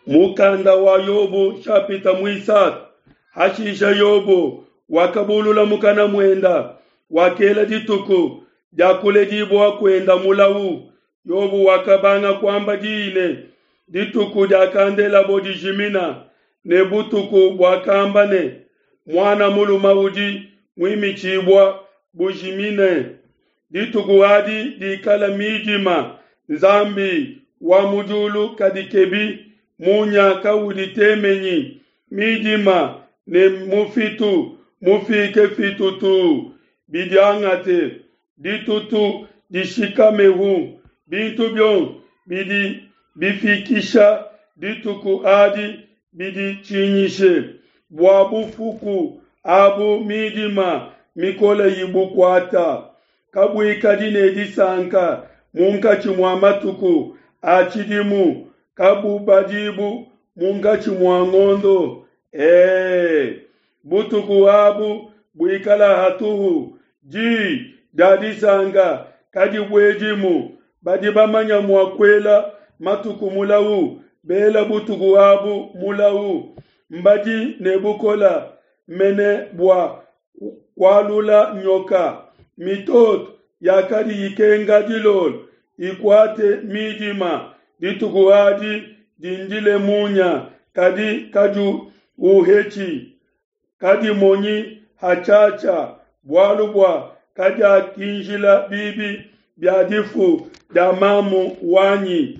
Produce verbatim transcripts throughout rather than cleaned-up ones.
Mukanda wa Yobo nshapita muisatu. Hashisha Yobo wakabulula mukana muenda, wakela dituku dia kuledibua kuenda mulau. Yobo wakabanga kuamba diyi ne, dituku diakandelabo dijimina, ne butuku buakamba ne, muana mulume udi muimitshibua bujimine. Dituku adi dikala midima, Nzambi wa mu diulu kadikebi, munya kauditemenyi, midima ne mufitu mufike fitutuu bidiangate, ditutu dishikamehu. Bintu bionso bidi bifikisha dituku adi biditshinyishe, bua bufuku abu midima mikole ibukuata. Kabuikadi ne disanka munkatshi mua matuku a tshidimu, kabubadibu munkatshi mua ngondo. E, butuku abu buikala hatuhu, di dia disanka kadibuedimu. Badi bamanya mua kuela matuku mulau, bela butuku abu mulau. Mbadi ne bukola mene bua kualula nyoka. Mitoto yakadi ikenga dilolo ikuate midima, dituku adi dindile munya, kadi kadiuhetshi, kadimonyi hatshiatshia, bualu bua kadiakinjila bibi bia difu dia mamu wanyi.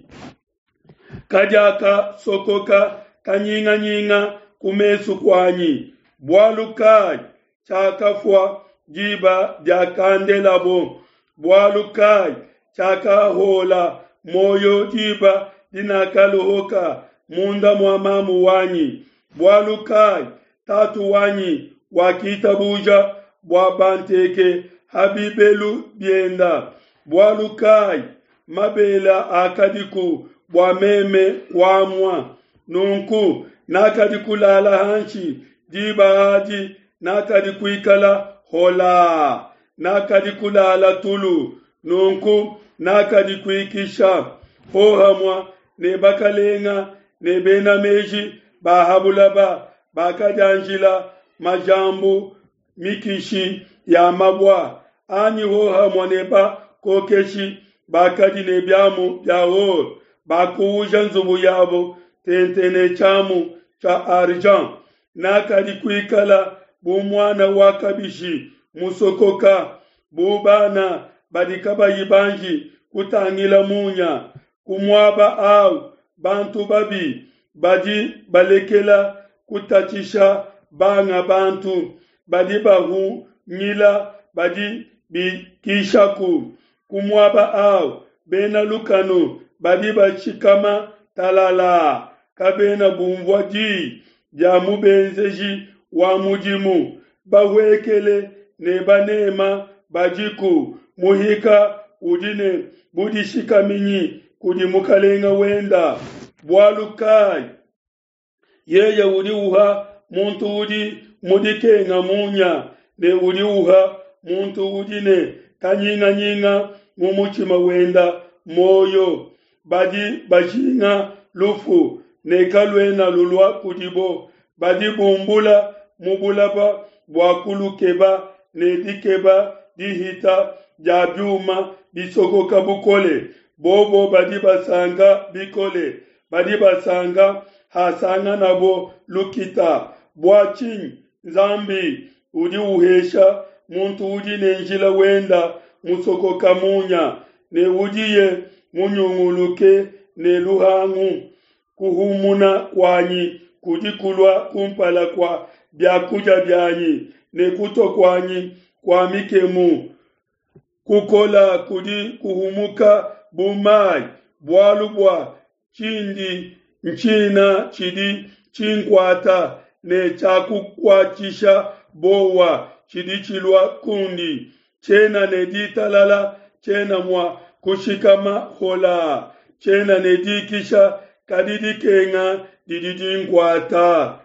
Kadiakasokoka kanyinganyinga ku mesu kuanyi. Bualu kai tshiakafua diba diakandelabo? Bualu kai tshiakahola muoyo diba dinakaluhuka munda mua mamu wanyi? Bualu kai tatu wanyi wakitabuja bua banteke ha bibelu bienda? Bualu kai mabele akadiku bua meme kuamua? Nunku nakadi kulala hanshi diba adi, nakadi kuikala hola, nakadi kulala tulu, nunku nakadi kuikisha hohamua ne bakalenga ne bena meji ba ha bulaba bakadianjila majambu mikishi ya mabua, anyi hohamua ne bakokeshi bakadi ne biamu bia or, bakuuja nzubu yabo tente ne tshiamu tshia argent. Nakadi kuikala bu muana wa kabishi musokoka, bu bana badi kabayi banji kutangila munya. Ku muaba au bantu babi badi balekela kutatshisha banga bantu, badi bahungila badi bikishaku. Ku muaba au bena lukanu badi bashikama talala, kabena bunvua di dia mubenzeji wa mudimu. Bahuekele ne banema badiku, muhika udi ne budishikaminyi kudi mukalenga wenda. Bualu kai yeye udi uha muntu udi mu dikenga munya, ne udi uha muntu udi ne kanyinganyinga mu mutshima wenda muoyo? Badi bajinga lufu, ne kaluena lulua kudibo. Badi bumbula mu bulaba bua kulukeba, ne dikeba dihita dia biuma bisokoka bukole. Bobo badi basanka bikole, badi basanka hasanganabo lukita. Bua tshinyi Nzambi udi uhesha muntu udi ne njila wenda musokoka munya, ne udiye munyunguluke ne luhangu? Kuhumuna kuanyi kudi kulua kumpala kua biakudia bianyi, ne kutua kuanyi kua mikemu kukola kudi kuhumuka bu mai. Bualu bua tshindi ntshina tshidi tshinkuata, ne tshiakukuatshisha bowa tshidi tshilua kundi. Tshiena ne ditalala, tshiena mua kushikama hola, tshiena ne dikisha, kadi dikenga didi dinkuata.